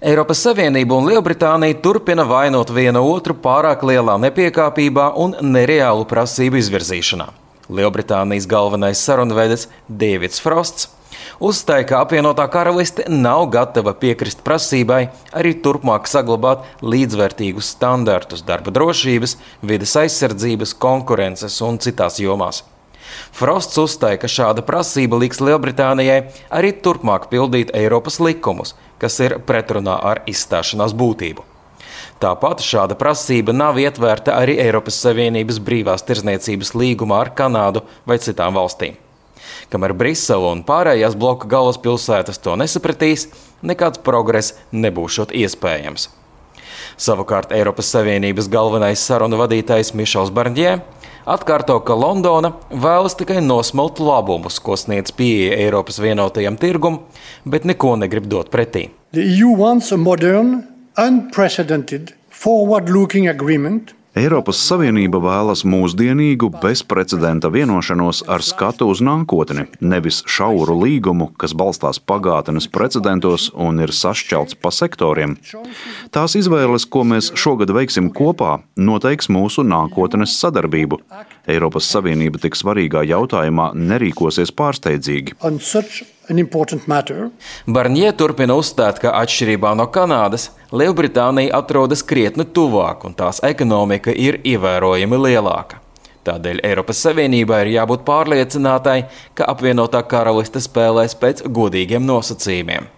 Eiropas Savienība un Lielbritānija turpina vainot vienu otru pārāk lielā nepiekāpībā un nereālu prasību izvirzīšanā. Lielbritānijas galvenais sarunvedis Deivids Frosts uzstāja, ka apvienotā karaliste nav gatava piekrist prasībai arī turpmāk saglabāt līdzvērtīgus standartus darba drošības, vides aizsardzības, konkurences un citās jomās. Frosts uzstāja, ka šāda prasība liks Lielbritānijai arī turpmāk pildīt Eiropas likumus, kas ir pretrunā ar izstāšanās būtību. Tāpat šāda prasība nav ietvērta arī Eiropas Savienības brīvās tirdzniecības līgumā ar Kanādu vai citām valstīm. Kamēr Brisele un pārējās bloka galvaspilsētas to nesapratīs, nekāds progress nebūšot iespējams. Savukārt Eiropas Savienības galvenais sarunu vadītājs Mišels Barņē atkārto, ka Londona vēlas tikai nosmelt labumus, ko sniedz pieeja Eiropas vienotajam tirgum, bet neko negrib dot pretī. The EU wants a modern, unprecedented, forward-looking agreement. Eiropas Savienība vēlas mūsdienīgu, bezprecedenta vienošanos ar skatu uz nākotni, nevis šauru līgumu, kas balstās pagātnes precedentos un ir sašķelts pa sektoriem. Tās izvēles, ko mēs šogad veiksim kopā, noteiks mūsu nākotnes sadarbību. Eiropas Savienība tik svarīgā jautājumā nerīkosies pārsteidzīgi. Barņē turpina uzstāt, ka atšķirībā no Kanādas, Lielbritānija atrodas krietni tuvāk un tās ekonomika ir ievērojami lielāka. Tādēļ Eiropas Savienībā ir jābūt pārliecinātai, ka apvienotā karaliste spēlēs pēc godīgiem nosacījumiem.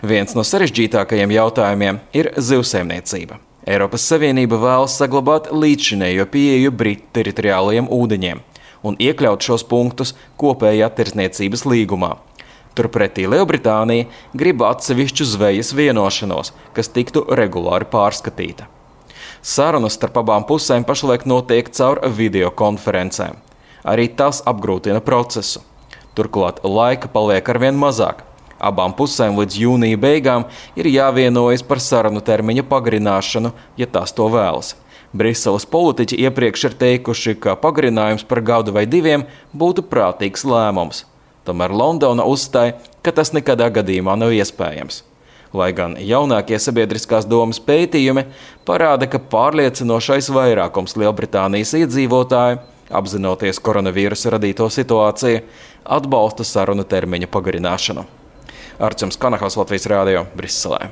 Viens no sarežģītākajiem jautājumiem ir zivsaimniecība. Eiropas Savienība vēlas saglabāt līdzšinējo pieeju Britu teritoriālajiem ūdeņiem un iekļaut šos punktus kopējā tirdzniecības līgumā. Turpretī Lielbritānija grib atsevišķu zvejas vienošanos, kas tiktu regulāri pārskatīta. Sarunas starp abām pusēm pašlaik notiek caur videokonferencēm. Arī tas apgrūtina procesu. Turklāt laika paliek arvien mazāk. Abām pusēm līdz jūnija beigām ir jāvienojas par sarunu termiņa pagarināšanu, ja tās to vēlas. Briseles politiķi iepriekš ir teikuši, ka pagarinājums par gadu vai diviem būtu prātīgs lēmums. Tomēr Londona uzstāja, ka tas nekadā gadījumā nav iespējams. Lai gan jaunākie sabiedriskās domas pētījumi parāda, ka pārliecinošais vairākums Lielbritānijas iedzīvotāju, apzinoties koronavīrusa radīto situāciju, atbalsta sarunu termiņa pagarināšanu. Arčuns Kanahals, Latvijas Rādio, Briselē.